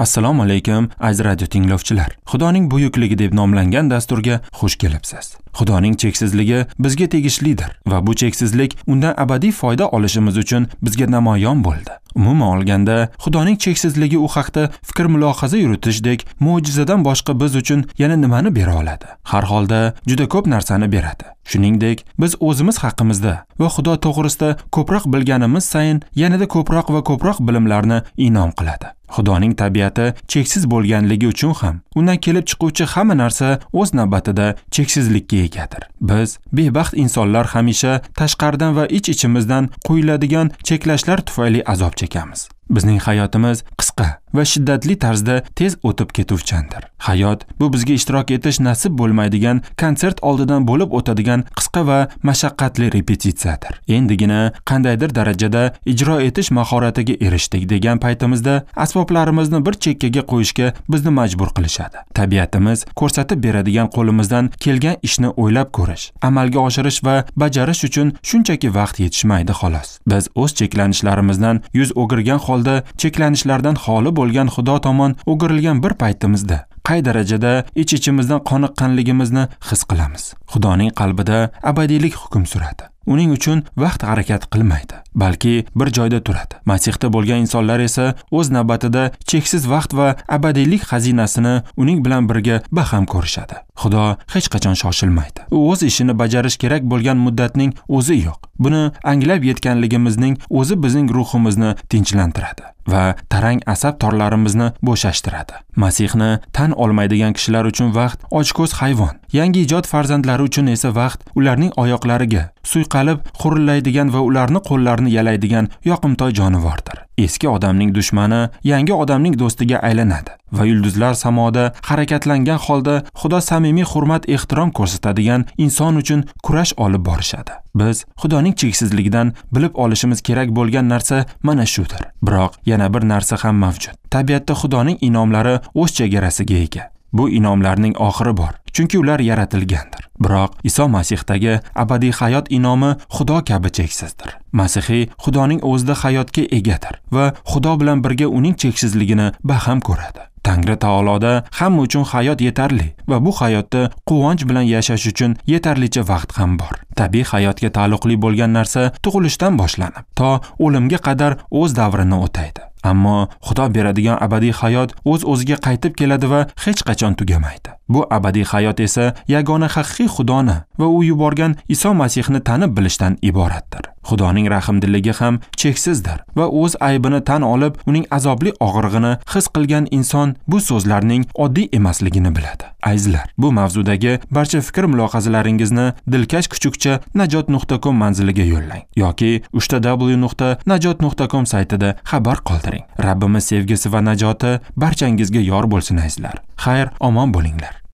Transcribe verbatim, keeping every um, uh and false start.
Assalomu alaykum aziz radio tinglovchilar. Xudoning buyukligi deb nomlangan dasturga xush kelibsiz. Xudoning cheksizligi bizga tegishlidir va bu cheksizlik undan abadiy foyda olishimiz uchun bizga namoyon bo'ldi. Umuman olganda, Xudoning cheksizligi u haqda fikr mulohaza yuritishdek mo'jizadan boshqa biz uchun yana nimani bera oladi? Har holda juda ko'p narsani beradi. Shuningdek, biz o'zimiz haqimizda va Xudo to'g'risida ko'proq bilganimiz sayin yanada ko'proq va ko'proq bilimlarni inom qiladi. Xudoning tabiati cheksiz bo'lganligi uchun ham undan kelib chiquvchi hamma narsa o'z navbatida cheksizlikka egadir. Biz bebaxt insonlar hamisha tashqaridan va ich-ichimizdan qo'yiladigan cheklashlar tufayli azob chekamiz. Bizning hayotimiz qisqa va shiddatli tarzda tez o'tib ketuvchandir. Hayot bu bizga ishtirok etish nasib bo'lmaydigan konsert oldidan bo'lib o'tadigan qisqa va mashaqqatli repetitsiyadir. Endigina qandaydir darajada ijro etish mahoratiga erishdik degan paytimizda asboblarimizni bir chekkaga qo'yishga bizni majbur qilishadi. Tabiatimiz ko'rsatib beradigan qo'limizdan kelgan ishni o'ylab ko'rish, amalga oshirish va bajarish uchun shunchaki vaqt yetishmaydi xolos. Biz o'z cheklanishlarimizdan yuz o'girgan holda cheklanishlardan xoli bo'lgan Xudo tomon o'girilgan bir paytimizda qay darajada ich-ichimizdan qoniqqanligimizni his qilamiz. Xudoning qalbida abadiylik hukm suradi. Uning uchun vaqt harakat qilmaydi, balki bir joyda turadi. Masihda bo'lgan insonlar esa o'z navbatida cheksiz vaqt va abadiylik xazinasini uning bilan birga baham ko'rishadi. Xudo hech qachon shoshilmaydi. U o'z ishini bajarish kerak bo'lgan muddatning o'zi yo'q. Buni anglab yetganligimizning o'zi bizning ruhimizni tinchlantiradi va tarang asab torlarimizni bo'shashtiradi. Masihni tan olmaydigan kishilar uchun vaqt ochko'z hayvon, yangi ijod farzandlari uchun esa vaqt ularning oyoqlariga suyqalib xurillaydigan va ularni qo'llarini yalaydigan yoqimtoy jonivordir. Eski odamning dushmani yangi odamning do'stiga aylanadi va yulduzlar samoda harakatlangan holda Xudo samimiy hurmat ehtirom ko'rsatadigan inson uchun kurash olib borishadi. Biz Xudoning cheksizligidan bilib olishimiz kerak bo'lgan narsa mana shudir. Biroq yana bir narsa ham mavjud. Tabiatda Xudoning inomlari o'z chegarasiga ega. Bu inomlarning oxiri bor, chunki ular yaratilgandir. Biroq Iso Masihdagi abadiy hayot inomi Xudo kabi cheksizdir. Masihiy Xudoning o'zida hayotga egadir va Xudo bilan birga uning cheksizligini baham ko'radi. Tangri taoloda hamma uchun hayot yetarli va bu hayotda quvonch bilan yashash uchun yetarlicha vaqt ham bor. Tabiiy hayotga taalluqli bo'lgan narsa tug'ilishdan boshlanib, to o'limga qadar o'z davrini o'taydi. Ammo Xudo beradigan abadiy hayot o'z-o'ziga qaytib keladi va hech qachon tugamaydi. Bu abadiy hayot esa yagona haqiqiy Xudoni va u yuborgan Iso Masihni tanib bilishdan iboratdir. Xudoning rahmdilligi ham cheksizdir va o'z aybini tan olib, uning azobli og'rig'ini his qilgan inson bu so'zlarning oddiy emasligini biladi. Azizlar, bu mavzudagi barcha fikr mulohazalaringizni dilkash kuchukcha najot nuqta com manziliga yo'llang yoki uch ta w nuqta najot nuqta com saytida xabar qoldiring. Rabbimiz sevgisi va najoti barchangizga yor bo'lsin azizlar. Xayr, omon bo'linglar.